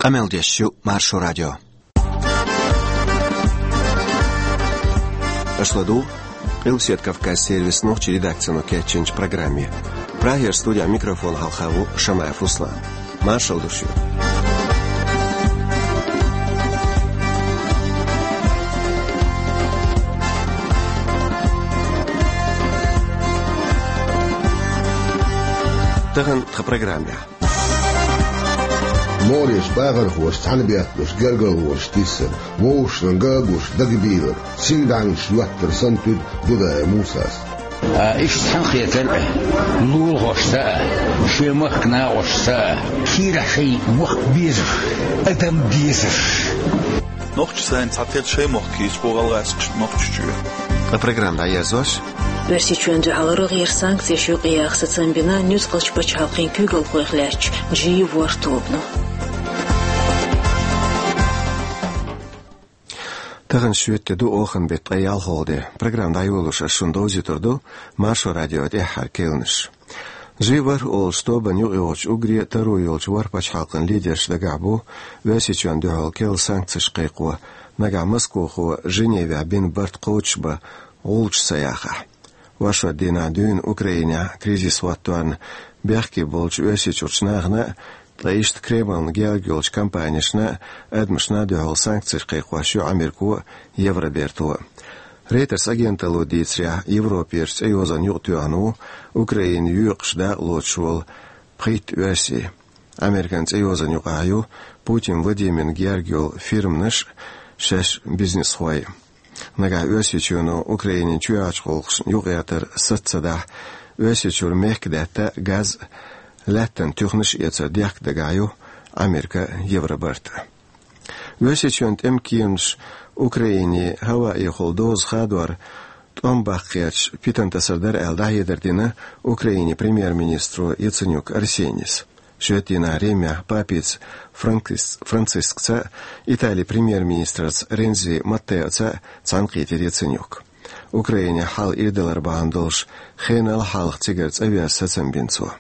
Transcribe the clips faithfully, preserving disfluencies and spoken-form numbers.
Къамел деш ю Маршо радио. Аша ладугӀу Къилбаседа Кавказан сервисан нохчийн редакцино кечйинчу программе. Прагера студехь микрофон хьалха ву Шамаев Руслан. Маршалла ду шуьга. Тахана тхан программехь. МогӀарерчу бахархоша цхьаьна бетталуш гергарлонаш тиссар, вовшашна ган а гуш дагабийлар, сингаттамаш йоттар санна туьду Дудаев Мусас. А, иштта цхьаьнакхетар а, лулахошца а, шен махкан накъосташца а, кийрахь шайн мохк безаш, адам безаш. Нохчаша сайна цхьатерра шайн мохк йийцуш бу гӀалгӀазкхаша Нохчийчоь. Ткъа программа дӀаерзош. Оьрсийчоьнна дуьхьал рогӀера санкцеш юкъаяха сацам бина нуьцкъалчу пачхьалкхийн куьйгалхойх лаьттачу Джи ворхӀ тобано. Тахана шоьтан де ду, оханан беттан ткъе ялхалгӀа де. Программа дӀайолош ас шуна довзуьйтур ду Маршо радион тӀаьххьара кхаьънаш. Джи ворхӀ олучу тобанна юкъайогӀучу уггаре а таро йолчу ворхӀ пачхьалкхан лидераш дагахь бу Оьрсийчоьнна дуьхьал керла санкцеш кхайкхо, нагахь Москвахо Женевехь бина барт кхочушбан гӀулчаш ца яхахь. Оршот дийнахь дуьйна Украинехь кризис хӀотторна бехке болчу Оьрсийчуьрчу нахана а, ткъа иштта Кремлна герга йолчу компанешна а, адамашна а дуьхьал санкцеш кхайкхош ю Америко а, Евроберто а. Рейтерс агенталло дийцарехь, Европерчу цӀейозанна юкъатоьхна ву Украина йоькъуш дакъа лоцуш волу пхийтта оьрси. Американ цӀейозанна юкъахь ю Путин Владимирна герга йолу фирманаш а, шаьш бизнесхой а. Нагахь Оьрсийчоьно Украинин чоьхьарчу гӀуллакхашна юкъаэцар саца ца дахь, Оьрсийчуьра мехкадаьтта а, газ а, лаьттан туьхнаш а эцар дехка дагахь ю Америка а, Евробарт а. Оьрсийчоьнан тӀеман кеманаш Украине хӀаваэхула доза хадор тӀом баккха гӀерташ питана тасар дара аьлла, дӀахьедар дина Украинин премьер-министро Яценюк Арсенис. Шоьтан дийнахь Римехь папица Франкис-, Францискца а, Италин премьер-министрца Ренци Маттеоца а цхьаьнакхийтира Яценюк. Украинехь хьал ирдалар бахьана долуш, хенал хьалха цигара цӀа веза сацам бина цо.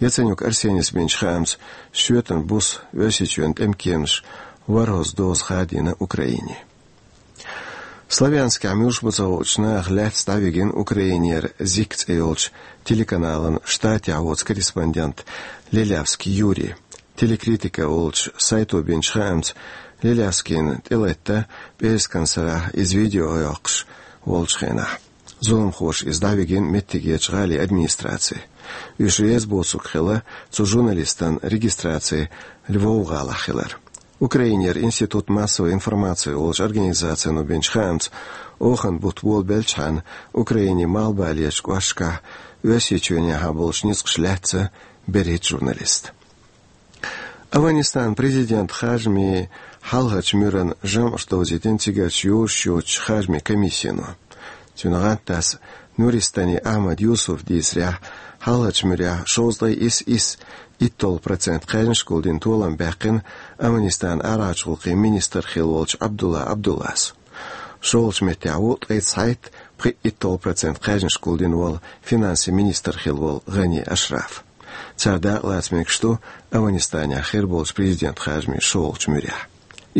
Яценюк Арсенис бинчу хаамца, шоьтан буса Оьрсийчоьнан тӀеман кеманаш ворхӀазза доза хадийна Украине. Славянскехь муьлш бу ца хуучу наха лаьцна дӀавигина Украинера Зик цӀе йолчу телеканалан Штатехь воцу корреспондент Лелявский Юрий. Телекритика олучу сайто бинчу хаамца, Лелявскийна тӀелатта пӀераскан сарахь иза видео йоккхуш волчу хенахь. Зуламхоша иза дӀавигина меттигерчу гӀалин администраци. Уьш реза боцург хилла цу журналистан регистраци Львов-гӀалахь хилар. Украинера Институт массовой информации олучу организацино бинчу хаамца, оханан бутт болабелчхьана, Украинин малхбалерчу кӀошташкахь Оьрсийчоьнехьа болчу ницкъаша лаьцна берхӀитта журналист. Афганистанан президентан харжамийн хьалхарчу муьран жамӀаш довзийтина цигарчу йозуш йоцучу харжамийн комиссино. Цуьнан гӀантдас Нуристани Ахьмад Юсуфа дийцарехь, хьалхарчу муьрехь шовзткъе исс исс итталгӀа процент кхаьжнаш гулдина толам баьккхина Афганистанан арахьарчу гӀуллакхийн министр хилла волчу Абдулла Абдуллас. ШолгӀачу меттехь ву ткъе цхьайтта пхиъ итталгӀа процент кхаьжнаш гулдина волу финансийн министр хилла волу ГӀани Ашраф. Цара дакъалаца мегаш ду Афганистанехь хир болчу президентан харжамийн шолгӀачу муьрехь.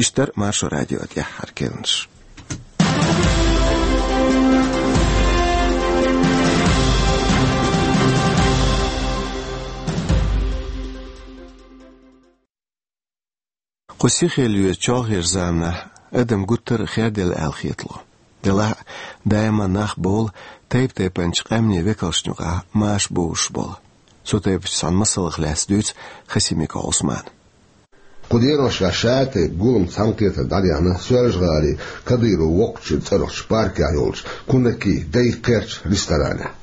Иштта дара Маршо радион тӀаьххьара кхаьънаш. Кху сихаллин чолхечу заманахь адам гуттар а херделла аьлла хетало. Делахь а, даиман нах бовлу тайп-тайпанчу къаьмнийн векалшна юкъахь маша бовзуш болу. Цу тайпанчу цхьана масалах лаьцна дуьйцу Хасимиков Ӏусмана. Кху деношкахь ша-тайпа гулам, цхьаьнакхетар дӀадахана Соьлжа-ГӀалин Кадыров воккхачу цӀарахчу паркехь йолчу Кунаки дай кхерчу ресторанехь.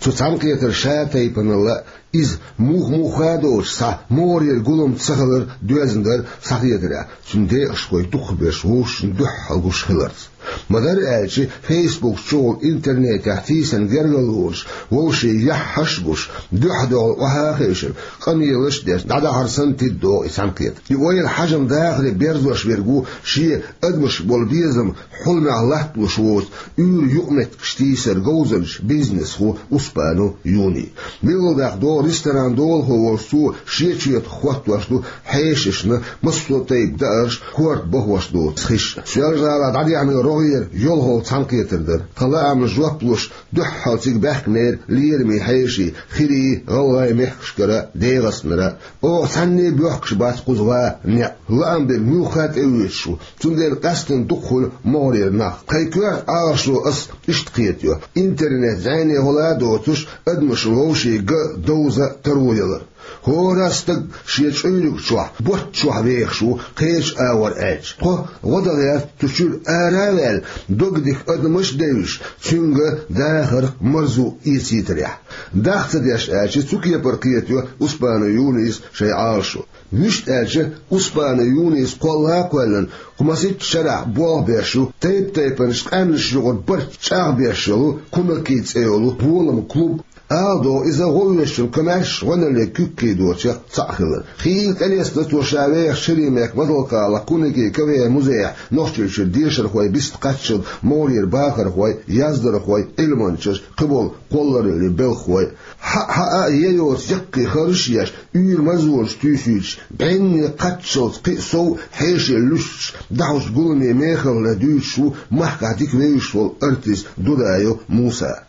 Цу цхьаьнакхетаран ша-тайпаналла, иза муха-муха а доцуш, цхьа могӀарера гулам ца хилар доьзна дара схьахетарехь, цуьнан декъашхой дукхахберш вовшашна дуьхьал гуш хиларца. Ма-дарра аьлча, Facebook чухула интернетехь тийсина гергарлонаш вовшийн яххьаш а гуш, дуьхьа-дуьхьал охьа а хевшина, къамелаш а деш, дӀадахьар санна тиддо и цхьаьнакхетар. И ойла, хьажам, дахаре берзош верг ву шен адамашка болу безам хьуламехь латталуш воцу уьйр-юкъаметтигаш тийсаран говзанча бизнесхо Успанов Юни. Милла дахдо Ресторан долахо волча цо шен четах хоттош ду хьешашна массо а тайпа даараш, корта бахош доцу хиш. Соьлжа-ГӀалахь дӀадеана рогӀера йолхалгӀа цхьаьнакхетар дара. Тхан лаамна жоп луш, дуьххьал цига баьхкинера лераме хьеший, хирий, гӀалгӀай мехкашкара, ДегӀастанара. Оха цхьанне а боьхкуш бац кхуза ван некъ. Лаам берг муьлхха а тӀеоьцуш ву, цундела къаьсттина дукха хуьлу могӀарера нах. Тхайн коьрта Ӏалашо ас иштта кхетайо: интернет зӀене хӀула а доцуш, адамаш вовшийн ган довза а, таро а ялар. ХӀора стаг шен чӀуьйриг чохь, ботт чохь вехаш ву, кхечу агӀор аьлча. Тхо гӀо дан гӀерта цу чуьра ара а ваьлла, дог дика адамаш а девзаш, цуьнга дахарх марзо эцийтарехь. Даха ца деш аьлча, цу кепара кхетайо Успана Юниса шайн Ӏалашо. Вуьшта аьлча, Успана Юниса кхолла а кхоьллина, кху масийтта шарахь болх беш ю тайп-тайпанчу къаьмнашна юкъара барт чӀагӀбеш йолу, Кунаки цӀе йолу болама клуб. Ала догӀу, иза гӀовгӀанчун комаьршачу гӀоьналле куьг кхийдочех цхьаъ хилар. Хийла тӀелестина цо ша вехачу шерийн мехкан Мазалкхалахь Кунаки КВН музейхь Нохчийчуьра дешархой, вистхӀоттийначу могӀарера бахархой, яздархой, Ӏилманчаш, кхиболу кхоллараллин белхахой. Хьаъ-хьаъа а, е йоцу яккхий харжаш а еш, уьйр-марзонаш туьйсуьйтуш, бӀенне кхаччалц кхин а сов хьеший луьстуш, дахьочу гуламе мехала лай дуьйцуш ву махкахь дика вевзаш волу артист Дудаев Муса.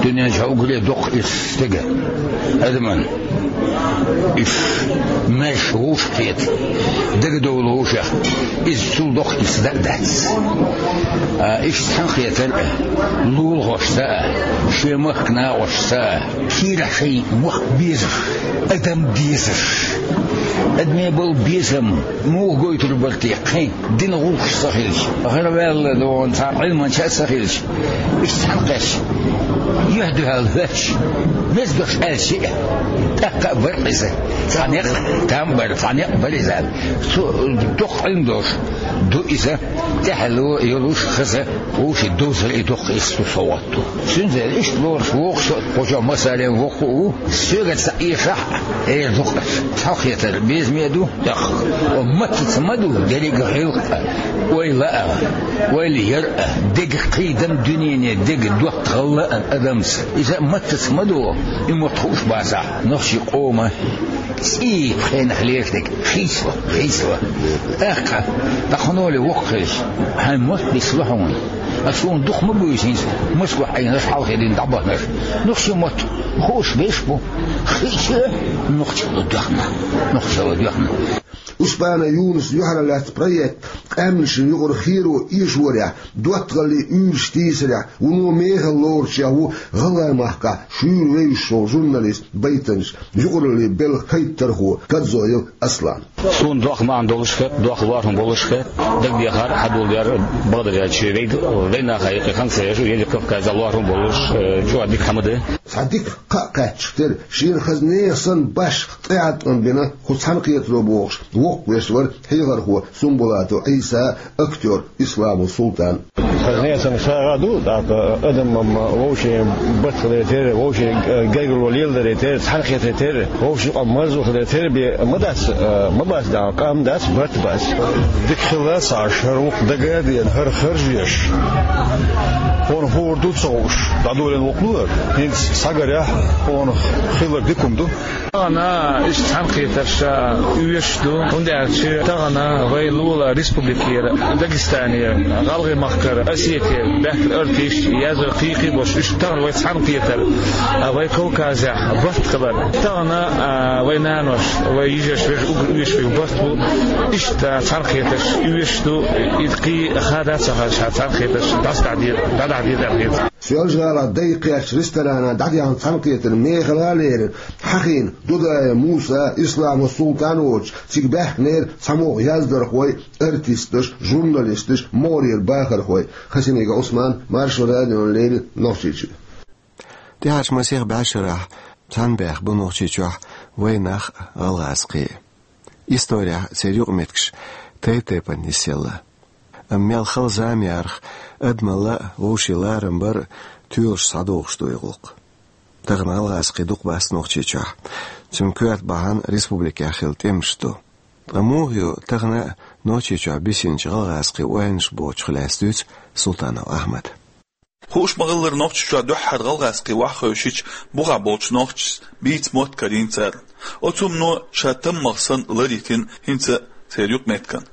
Дуьнен чохь уггаре доккха ирс стеган, адаман. Уьш маьрша вовшахкхета, дагадовла вовшех, иза цул доккха ирс дан а дац. А, иштта цхьаьнакхетар а, лулахошца а, шен махка накъосташца а, кийрахь шайн мохк безаш, адам дезаш, адамийн болу безам муха гойтур бара те, кхин дина гӀуллакхаш ца хилча, гӀараваьлла догӀун цхьа Ӏилманча а ца хилча, иштта цхьаьнакхетча, юьхь-дуьхьал хӀоьттича, меза дош аьлча а, тӀаккха а бара иза. Цхьа некъ там бара, цхьа некъ бара иза. Цу доккха Ӏилма долуш ду иза, тӀаьхьало йолуш хаза, вовшийн довзар и доккха ирс ду, совгӀат ду. Цуьнца иштта лоруш воккхуш а, кху чохь массарел воккха а ву, соьга ца эшахь а, эр ду-кх аш. Цхьаьнакхетар безаме а ду, тӀаккха маттаца ма ду дерриг а гӀиллакх а, ойла а, ойла яр а, дега кхийдам дуьнене, дега доттагӀалла а адамца. Иза маттаца ма ду, и мотт хууш бацахь, нохчийн къоман цӀийпхенах леринарг хийцало, хийцало. ТӀаккха, тӀаккха хӀун олу воккха хилча, хьайн мотт бицло хьуна. Ас хьуна дукха ма буьйсу хӀинца, Москвахь Ӏийнарш, хьалхе дина дӀабахнарш. Нохчийн мотт хууш берш бу. Хиъча а, нохчалла доьхна. Нохчалла доьхна. Успана Юнусан юьхьарлаьцна проект къаьмнашна юкъара херо эшорехь, доттагӀаллин уьйраш тийсарехь, вуно мехала лоручех ву ГӀалгӀай махкахь шуьйра вевзаш волу журналист, байтанча, юкъараллин белхан кхайттархо Кадзоев Аслан. Суна доккха маьӀна долуш хета, доккха лоархӀам болуш хета, дагадехар, хьадоладер, бакъдерг аьлча, вай, вайнаха юкъе хан ца еш, Владикавказехь лоархӀам болуш, э, чӀогӀа дика хӀума ду. Цхьа дика кхаъ кхаьччахь тера, шена хаза нехан санна башха тӀеӀаткъам бина кху цхьаьнакхетаро бохуш, воккхавеш вара хьехархо Сумбулатов Ӏийса, актёр Исламов Султан. Хаза нехан санна сагӀа а ду, тӀаккха адам-м вовшийн барт хиларе терра, вовшийн гергарло леладаре терра, цхьаьнакхетаре терра, вовшийн юкъа марзо хиларе терра бен ма дац, э, ма бац, да, къам дац, барт бац. Дика хилла ца Ӏаш, хӀара вукху дага а деана, хӀара харжа еш. Хьуна хӀора ду ца хууш, дӀадолийна воккхалур. ХӀинца схьагарехь, хьуна хилар дика хӀума ду. Тахана иштта цхьаьнакхетарш оьшуш ду, хӀунда аьлча тахана вай лулахь республикера, Дагестане, ГӀалгӀай махкара, Осетия баьхкина артисташ, яздархой, кхин а болуш, уьш тахана вай цхьаьнакхетар, а, вай Кавказехь барт хилар. Тахана, а, вай нанош, вай йижарш, вежарш уггар оьшуш верг барт бу. Иштта цхьаьнакхетарш оьшуш ду, и кхин хада а ца хадош, цхьаьнакхетарш дӀасадахьа деза, дӀадахьа деза аьлла хета. Соьлжа-ГӀалахь дайкхечу ресторана дӀадеана цхьаьнакхетар мехала а лерина, хьахийна Дудаев Муса, Исламов Султан воцуш, цига баьхкинера цхьамогӀа яздархой, артисташ, журналисташ, могӀарера бахархой. Хасимиков Ӏусман, Маршо радиона леррина, Нохчийчуьра. ТӀаьхьарчу масех бӀешарахь цхьаьна баьхна бу Нохчийчохь вайнах а, гӀалгӀазкхий а. Исторехь церан юкъаметтигаш тайп-тайпана нисъелла. Амма мел хала зама ярах, адамалла а, вовшийн ларам бар а тоьлуш схьадогӀуш ду и гӀуллакх. Тахана гӀалгӀазкхий дукха бац Нохчийчохь. Цуьнан коьрта бахьана республикехь хилла тӀемаш ду. Ткъа муха ю тахана а Нохчийчохь бисинчу гӀалгӀазкхийн ойланаш бохучух лаьцна дуьйцу Султанов Ахьмада. Хууш ма-хиллара, Нохчийчохь дуьххьара гӀалгӀазкхий ваха хевшича, бухахь болчу нохчашца бийца мотт карийна царна. Оцу хӀумано ша таммагӀа санна лар йитина хӀинца церан юкъаметтиган.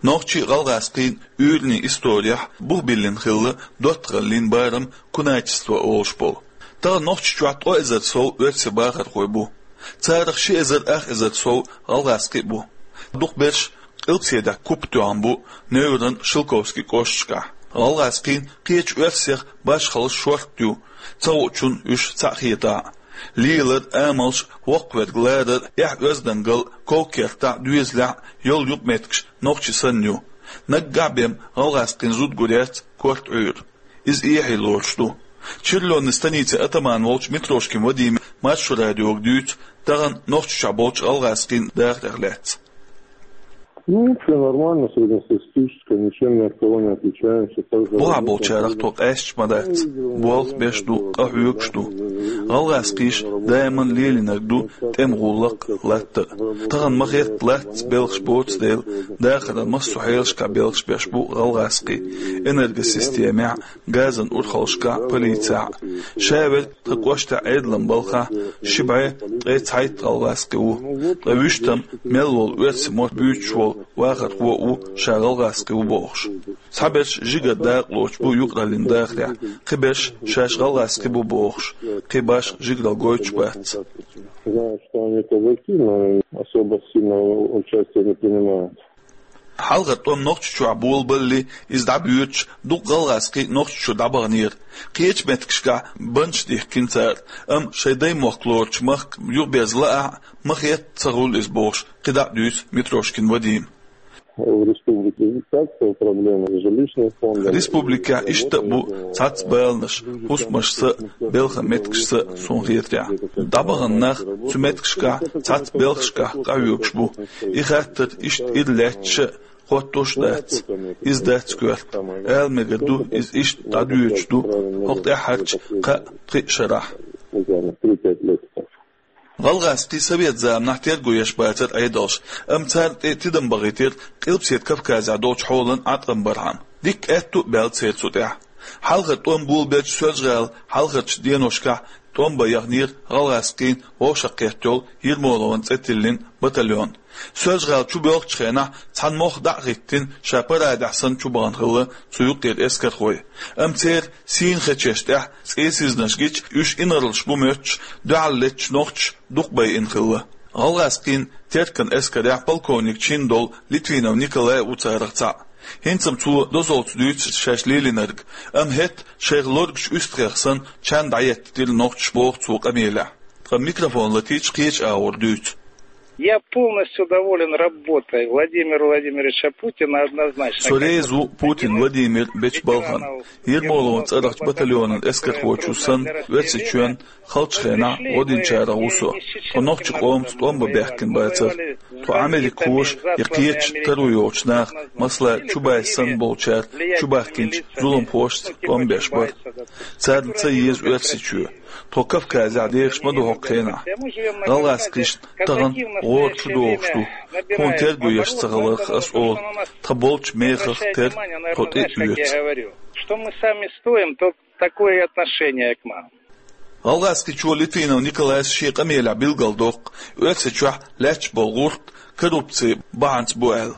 Нохчийн а, гӀалгӀазкхийн а уьйранийн исторехь бух биллина хилла доттагӀаллин барам, куначество олуш болу. Тахана Нохчийчохь ткъа эзар сов оьрсийн бахархой бу. Царах ши эзар ах эзар сов гӀалгӀазкхий а бу. Дукхахберш Къилбаседехь куп тоьхна бу, Невран, Шелковский кӀошташкахь. ГӀалгӀазкхийн кхечу оьрсех башхаллаш шортта ю, ца хуучунна уьш цхьаъ хетахь а. Лелар, амалш, воккхаверг ларар, эхь-оьздангалла, ков-кертахь, доьзалехь йолу юкъаметтигаш нохчийн санна ю. Наггахь бен гӀалгӀазкхийн зуда гур яц корта Ӏуьйра. Иза эхье лоруш ду. Черлонан станицин атаман волчу Митрошкин Вадиме Маршо радиога дуьйцу тахана Нохчийчохь болчу гӀалгӀазкхийн дахарех лаьцна. Ну, все нормально, среднестатистическая, ничем ни от кого не отличаемся. Так же Бухахь работаем, болчарах тхо къаьсташ ма дац, болх беш ду, къа хьоьгуш ду. ГӀалгӀазкхийш даиман лелийнарг ду тӀеман гӀуллакх а, латта а. Тахана ма-хетта латтаца белхаш боцу дела, дахаран массо а хьелашкахь белхаш беш бу гӀалгӀазкхий: энергосистемехь, газан урхаллашкахь, полицехь. Ша верг тхан кӀоштехь Ӏедалан балхахь ши бӀе ткъе цхьайтта гӀалгӀазкхи ву. Ткъа вуьштам мел волу оьрсийн мотт буьйцуш волу вахархо а ву ша гӀалгӀазкхи ву бохуш. Цхьаберш жигара дакъа лоцуш бу юкъараллин дахарехь, кхиберш шаьш гӀалгӀазкхи бу бохуш, кхин башха жигаралла гойтуш бац. Знаю, что они казаки, но особо сильно участия не принимают. Хьалхара тӀом Нохчийчохь болабаллалц, иза дӀабоьдуш, дукха гӀалгӀазкхий Нохчийчу дӀабаханера. Кхечу меттигашкахь баннаш дихкина цара, амма шайн даймохк лоручу махка юхаберза лаахь а, ма-хетта ца хуьлу иза бохуш, кхидӀа а дуьйцу Митрошкин Вадима. В республике есть такая проблема с жилищным фондом. Республикехь иштта а бу цхьацца баланаш, хӀусамашца а, белхан меттигашца а, суна хетарехь. ДӀабахана нах цу меттигашкахь цхьацца белхашкахь къахьоьгуш бу. И хаттар иштта ира лаьтташ а, хоттуш а дац. Иза дац коьрта. Ала мегар ду, иза иштта дӀадоьдуш ду хӀокху тӀаьххьарчу кхаа-пхиъ шарахь. ГӀалгӀазкхий совет заманахь терго еш бацара Ӏедалш, амма царна тӀе тидам бахийтира Къилбаседа Кавказехь долчу хьолан Ӏаткъам бархьама. Дикка аьтту а баьлла церан цу тӀехь. Хьалхара тӀом болабелча Соьлжа-ГӀала хьалхарчу деношкахь тӀом бан яханера гӀалгӀазкхийн вовшахкхетта йолу Ермоловн цӀе тиллина батальон. Соьлжа-ГӀала чубоьлхучу хенахь цхьана мохк дӀа а хӀиттина, ша парадехь санна чубахана хилла цу юккъера эскархой. Амма церан сийна хечеш тӀехь цӀе сизнарш гича, уьш инарлаш бу моьттуш, дуьхьал летташ нохчаш дукха байина хилла. ГӀалгӀазкхийн Теркан эскарехь полковник чин долу Литвинов Николай а ву царах цхьаъ. ХӀинца-м цо дозаллица дуьйцу шаьш лелийнарг, амма хӀетта шайх лоргучу уьстагӀех санна чан дӀаеттира нохчаш, боху цо къамелехь. Ткъа микрофон латийча кхечу агӀор дуьйцу. Я полностью доволен работой Владимира Владимировича Путина однозначно. Со реза ву Путин Владимир бечу балхана. Ермоловн цӀарахчу батальонан эскархочо санна, Оьрсийчоьнан халчу хенахь гӀо динчарах ву со. Тхо нохчийн къомаца тӀом бан баьхкина бацара. Тхо америкахоша я кхечу таро йолчу наха, масала, Чубайс санна болчара, чубахкинчу зуламхошца тӀом беш бара. Царна ца еза Оьрсийчоь. Тхо Кавказехь дехаш ма ду хӀокху хенахь. ГӀалгӀазкхишна тахана гӀора чу догӀуш ду. Тхуна терго еш ца хиларх ас олу, тхан болчу мехах тера тхо тӀе а оьцу. Что мы сами стоим, то такое отношение к нам. ГӀалгӀазкхичо Литвинов Николайс шен къамелехь билгалдоккху, Оьрсийчохь лаьтташ болу гӀурт коррупци бахьанца бу аьлла.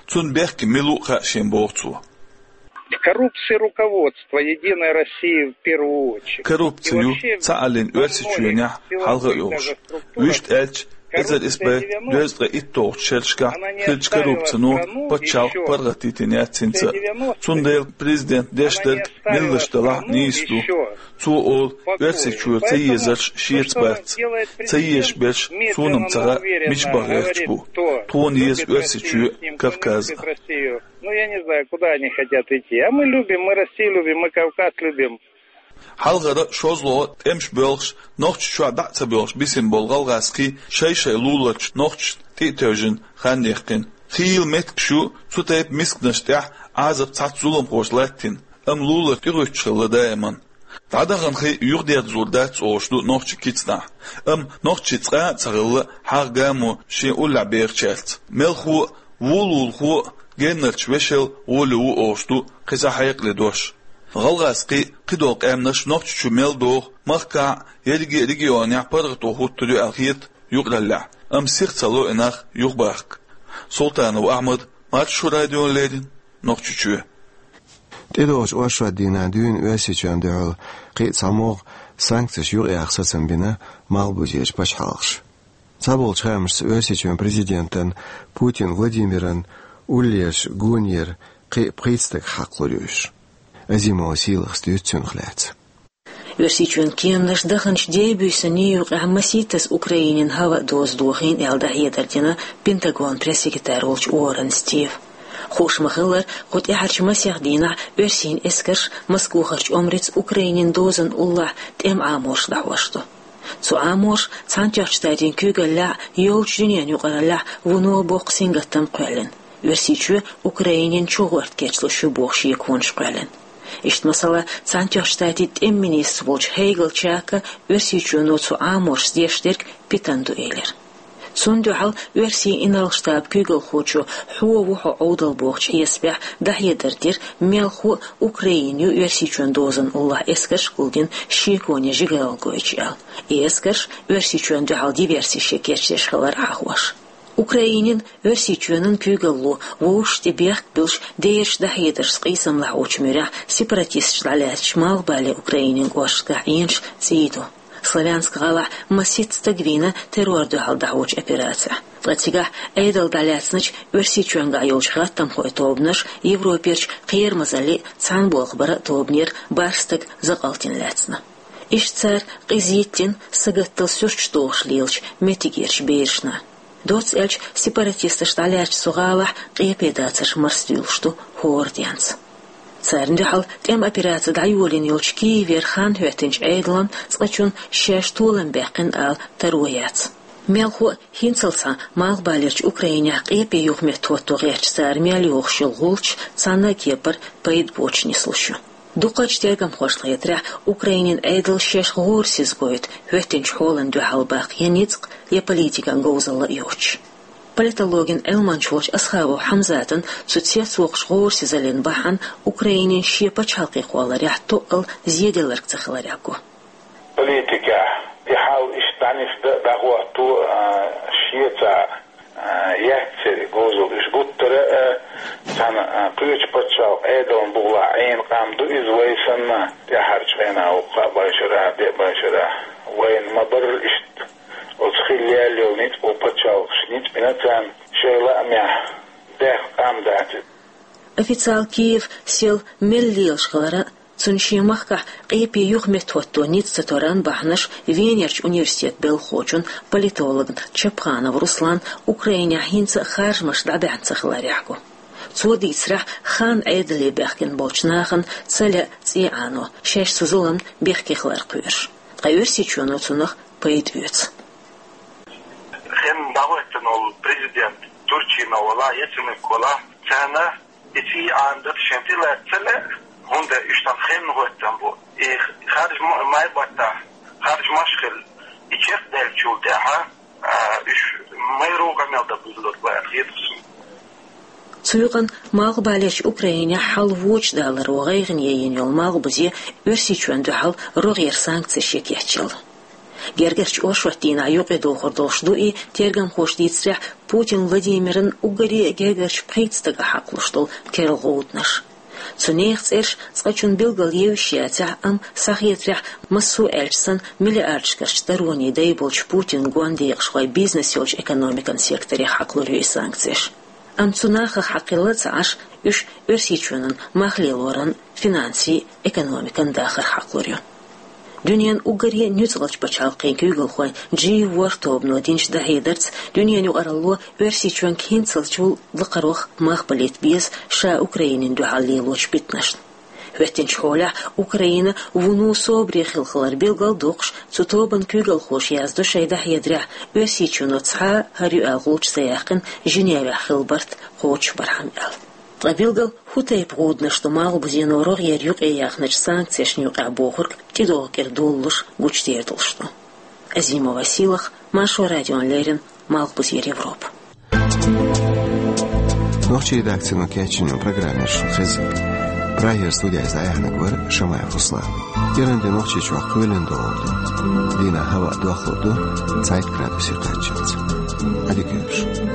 Цунна бехке мила ву а хаьа шена, боху цо. В коррупции руководство Единой России в первую очередь. Коррупци ю цхьааллин Оьрсийчоьнехь хьалха а йолуш. Вуьшта аьлча, эзар исс бӀе дезткъе итталгӀачу шерашкахь хиллачу коррупцино пачхьалкх паргӀатдитина яц хӀинца а. Цундела президент деш дерг милла аш далахь а нийса ду. Цо олу, Оьрсийчоь ца езарш шеца бац. Ца езаш берш суна-м ца хаьа мича баха гӀерташ бу. Тхуна еза Оьрсийчоь а, Кавказ а. Ну, я не знаю, куда они хотят идти. А мы любим, мы Россию любим, мы Кавказ любим. Хьалхара шозлагӀа тӀемаш боьлхуш, Нохчийчохь дӀа а ца боьлхуш бисина болу гӀалгӀазкхий шай-шай луларчу нохчашна тӀе а тевжина хан яьккхина. Хийла меттигаш ю цу тайпа мисканаш тӀехь Ӏазап цхьацца зуламхоша латтийна, амма лулар тӀегӀуьттуш хилла даиман. ДӀадахана хи юхадерзор дац олуш ду нохчийн кицанахь, амма нохчийн цкъа а ца хилла хьагӀ-гамо шен уллехь бехачаьрца. Мелхо а, вулулхо а геннарчу вешел гӀоле ву олуш ду кхин цхьа хьекъале дош. ГӀалгӀазкхий, кхыдолу къаьмнаш Нохчийчу мел доху, махкахь, ерриге а регионехь паргӀато хӀуттур ю аьлла хета юкъараллехь, амма сиха ца ло и нах юхабахка. Султанов Ахьмад, Маршо радиона леррина, Нохчийчоь. ТӀедогӀучу оршот дийнахь дуьйна Оьрсийчоьнна дуьхьал кхин а цхьа могӀа санкцеш юкъаяха сацам бина Малхбузерчу пачхьалкхаша. Цхьаболчу хаамашца Оьрсийчоьнан президентан Путин Владимиран уллерчу гонера кхин а пхийтта стаг хьакхалур ю уьш. Азимова Сийлахас дуьйцу цунах лаьцна. Оьрсийчоьнан кеманаш даханчу дебуьйсанна юкъахь масийттаза Украинин хӀаваан доза дохийна аьлла дӀахьедар дина Пентагонан пресс-секретарь волчу Уоррен Стива. Хууш ма-хиллара, кху тӀаьхьарчу масех дийнахь оьрсийн эскарш Москохарчу омрица Украинин дозан уллохь тӀеман Ӏаморш дӀахьош ду. Цу Ӏаморша Цхьаьнатоьхначу Штатийн куьйгаллехь а, йолчу дуьненан юкъараллехь а вуно боккха сингаттам кхоьллина. Оьрсийчоь Украинин чугӀорта кечлуш ю боху шеконаш кхоьллина. Иштта, масала, Цхьаьнатоьхначу Штатийн тӀеман министр волчу Хейгал Чака Оьрсийчоьно цу Ӏаморшца деш дерг питана ду элира. Цунна дуьхьал оьрсийн инарла-штабан куьйгалхочо хьо ву хьо Ӏовдал бохучу хьесапехь дӀахьедар дира, мелхо а Украина ю Оьрсийчоьнан дозан уллохь эскарш гулдина шеконе жигаралла гойтуш аьлла. И эскарш Оьрсийчоьнна дуьхьал диверсиш ян кечдеш хилар хьахош. Украинин, Оьрсийчоьнан куьйгалло вовшашна тӀе бехк а буьллуш, дераш дӀахьедаршца къийсам лахьочу муьрехь сепаратисташ дӀалаьцначу Малхбале Украинин кӀошташкахь Ӏенаш цӀий ду. Славянск гӀалахь масийтта стаг вийна террор дуьхьал дӀахьочу операцехь. Ткъа цигахь Ӏедал дӀалаьцначу Оьрсийчоьнгахь йолчу гӀаттамхойн тобанаша Европерчу кхерамазаллин а, цхьаьнаболх баран а тобанера бархӀ стаг закъалтина лаьцна. Иштта цара къиза йиттина, сагатдала суьрташ дохуш лелачу меттигерчу берашна. Доцца аьлча, сепаратисташ дӀалаьцначу цу гӀалахь къепе дацарш марсадуьйлуш ду хӀора денца. Царна дуьхьал тӀеман операци дӀайолийна йолчу Киевера хан хӀоьттинчу Ӏедална цкъачунна шаьш толам баьккхина ала таро яц. Мелхо а, хӀинццалц цхьа Малхбалерчу Украинехь къепе юха меттахӀотто гӀерташ цара мел йохуш йолу гӀулч цхьана а кепара пайда боцуш нислуш ю. Дукхачу тергамхошна хетарехь, Украинин Ӏедал шаьш гӀорасиза гойту хӀоьттинчу хьолана дуьхьал баккха я ницкъ, я политикан говзалла а йоцуш. Политологин Ӏилманча волчу Асхабов Хьамзатан цу цецвоккхучу гӀорасизаллин бахьана Украинин шен пачхьалкхе кхолларехь тоъал зеделларг ца хиларех го. Политикехь и хьал иштта дӀанисдан а, дӀахӀотто а, шеца а, яццара говзалла уьш гуттара а, цхьана а, кхечу пачхьалкхан Ӏедална бугӀалахь Ӏийна къам ду иза вай санна, тӀаьхьарчу хенахь вукху кхаа бӀешарахь, деа бӀешарахь. Вайна ма-барра иштта оцу хилла яьлла йолу ницкъ, пачхьалкхаша ницкъ бина царна, шайн лаамехь даьхна къам дац иза. Официал Киев сел мел лелаш хиларан, цунна шен махкахь къепе юха меттахӀотто ницкъ ца торан бахьанаш Венерчу университетан белхахочун, политологна Чапханов Русланна Украинехь хӀинца а харжамаш дӀабаьхьна ца хиларех го. Цо дийцарехь, хан Ӏедале баьхкина болчу нахана ца лаьа цӀий Ӏано, шаьш цу зуламна бехке хилар кхоьруш. Ткъа Оьрсийчоьно цунах пайда оьцу. Хин дӀахӀоьттина волу президент Турчинов валахь, Яценюк валахь, царна и цӀий Ӏанадата шайн тӀе лаьцна ца лаьа, хӀунда аьлча уьш тхан хенна хӀоьттина бу. И харж ма-, май баттахь, харжамаш хилла, и чекхдаьллачул тӀаьхьа, а, уьш майра къамел дан буьйлур бу аьлла хета суна. Цу юкъана Малхбалерчу Украинехь хьал вочу даларо гӀайгӀане йина йолу Малхбузе Оьрсийчоьнна дуьхьал рогӀера санкцеш ян кечъелла. Гергарчу оршот дийнахь юкъадохур долуш ду и, тергамхоша дийцарехь, Путин Владимиран уггаре а гергарчу пхийтта стага хьакхалуш долу керла гӀуданаш. Цу нехан цӀераш цкъачунна билггал евзаш яцахь а, амма, схьахетарехь, массо а аьлча санна, миллиардашкарчу даронийн дай болчу Путинан гондекъашхойн бизнес йолчу экономикан секторе хьакхалур ю и санкцеш. Амма цу нахах хьакхелла а ца Ӏаш, уьш Оьрсийчоьнан мах лелоран, финансийн, экономикан дахар хьакхалур ю. Дуьненан уггаре а нуьцкъалчу пачхьалкхийн куьйгалхойн Джи ворхӀ тобано динчу дӀахьедарца, дуьненан юкъаралло Оьрсийчоьнга хӀинццалчул лакхарох мах балийта беза ша Украинина дуьхьал лелочу питанашна. ХӀоьттинчу хьолехь Украина вуно собаре хилла хилар билгалдоккхуш, цу тобанан куьйгалхоша яздо шайн дӀахьедарехь, Оьрсийчоьно цхьа а хӀара ю аьлла гӀулч ца яьккхина Женевехь хилла барт кхочушбархьама аьлла. Ткъа билггал хӀун тайпа гӀуданаш ду Малхбузено рогӀера юкъаяьхначу санкцешна юкъахь бохург тӀедогӀу кӀира долалуш гучудер долуш ду. Азимова Сийлаха, Маршо радиона леррина, Малхбузера Европа. Нохчийн редакцино кечйина программа шуна хеза. Прагера студехь иза дӀаяьхьнарг вара Шамаев Руслан. Иран де Нохчийчохь кхоьлина догӀур ду. Дийнахь хӀаваъ дохлур ду цхьайтта градусе кхаччалц. Ӏадика йойла шун.